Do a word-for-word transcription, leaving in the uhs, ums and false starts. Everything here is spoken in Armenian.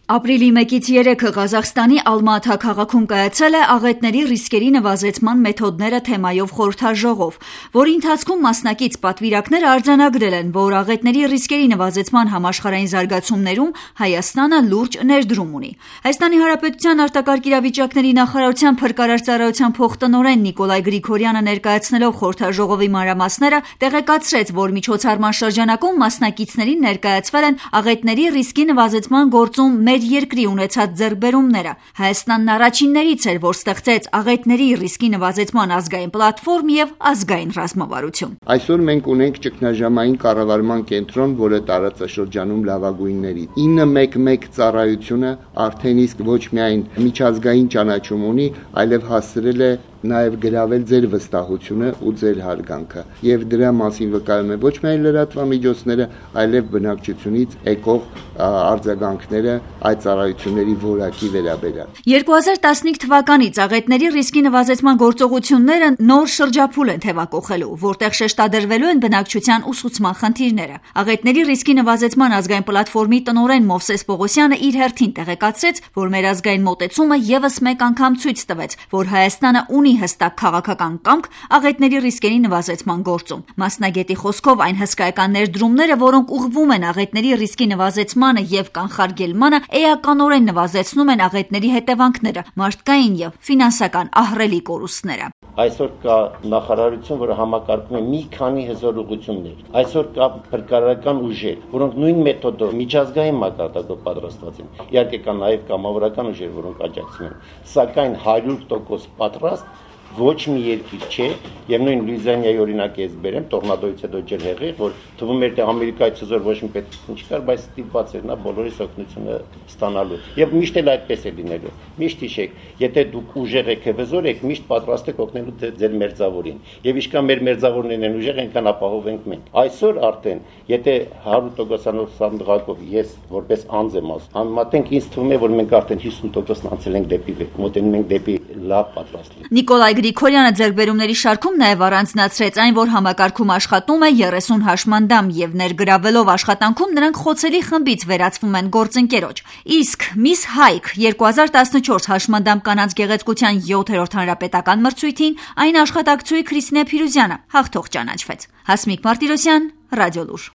Ապրիլի մեկից երեքը Ղազախստանի Ալմաթա քաղաքում կայացել է աղետների ռիսկերի նվազեցման մեթոդները թեմայով խորհրդաժողով, որի ընթացքում մասնակից պատվիրակները արձանագրել են, որ աղետների ռիսկերի նվազեցման համաշխարհային զարգացումներում Հայաստանը լուրջ ներդրում ունի։ Հայաստանի Հանրապետության արտակարգ իրավիճակների նախարարության փրկարար ծառայության փոխտնօրեն Նիկոլայ Գրիգորյանը ներկայացնելով խորհրդաժողովի մանրամասները տեղեկացրեց, որ միջոցառման շրջանակում մասնակիցներին ներկայացվել են աղետների ռիսկի նվազեցման գործում մեր երկրի ունեցած ձեռքբերումները։ Հայաստանն առաջիններից էր, որ ստեղծեց աղետների ռիսկի նվազեցման ազգային պլատֆորմ եւ ազգային ռազմավարություն։ Այսօր մենք ունենք ճգնաժամային կառավարման կենտրոն, որը տարածաշրջանում լավագույնների ինը մեկ մեկ ծառայությունը արդեն իսկ ոչ միայն միջազգային ճանաչում ունի, այլև հասցրել է նաև գրավել ձեր վստահությունը ու ձեր հարգանքը, եւ դրա մասին վկայում է ոչ միայն լրատվամիջոցները, այլև բնակչությունից եկող արձագանքները այդ ծառայությունների որակի վերաբերյալ։ երկու հազար տասնհինգ թվականից աղետների ռիսկի նվազեցման գործողությունները նոր շրջափուլ են թևակողելու, որտեղ շեշտադրվելու են բնակչության ուսուցման խնդիրները։ Աղետների ռիսկի նվազեցման ազգային պլատֆորմի տնօրեն Մովսես Պողոսյանը իր հերթին տեղեկացրեց, որ մեր ազգային մոտեցումը եւս մեկ անգամ ցույց տվեց, որ Հայաստանը ունի հստակ քաղաքական կամք աղետների ռիսկերի նվազեցման գործում։ Մասնագետի խոսքով այն հսկայական ներդրումները, որոնք ուղղվում են աղետների ռիսկի նվազեցմանը եւ կանխարգելմանը, էականորեն նվազեցնում են աղետների հետևանքները, մարդկային եւ ֆինանսական ահռելի կորուստները։ Այսօր կա նախարարություն, որը համակարգում է մի քանի հզոր ուղղություններ։ Այսօր կա փրկարարական ուժեր, որոնք նույն մեթոդով միջազգային մակարդակով պատրաստված են։ Իհարկե կա նաև կամավորական ուժեր, որոնք աջակցում են, սակայն հարյուր տոկոս պատրաստ ոչ մի երկիր չէ, եւ նույն Լուիզիանիայի օրինակ ես բերեմ, տորնադոից հետո ջեր հեղեղ, որ թվում էր թե Ամերիկայից հզոր ոչ մի պետք չկար, բայց ստիպված էր նա բոլորիս օգնությունը ստանալու։ Եվ միշտ էլ այդպես է լինելու։ Միշտ հիշեք, եթե դուք ուժեղ եք եւ հզոր եք, միշտ պատրաստ եք օգնելու ձեր մերձավորին։ Եվ ինչքան մեր մերձավորներն են ուժեղ, այնքան ապահովենք մենք։ Այսօր արդեն, եթե հարյուր տոկոսանոց սանդղակով ես որպես անձ եմ ասում, համեմատենք, ինձ թվում է, որ մենք արդեն հիսուն տոկոս անցել ենք դեպի վեր, մոտենում ենք դեպի լավ պատրաստ։ Նիկոլայ Գրիգորյանը ձեռքբերումների շարքում նաև առանձնացրեց այն, որ համակարգում աշխատում է երեսուն հաշմանդամ եւ ներգրավելով աշխատանքում նրանք խոցելի խմբից վերածվում են գործընկերոջ։ Իսկ Miss Hayk երկու հազար տասնչորս հաշմանդամ կանանց գեղեցկության յոթերորդ հանրապետական մրցույթին այն աշխատակցուի Քրիստինե Փիրուզյանը հաղթող ճանաչվեց։ Հասմիկ Մարտիրոսյան, Ռադիոլուր։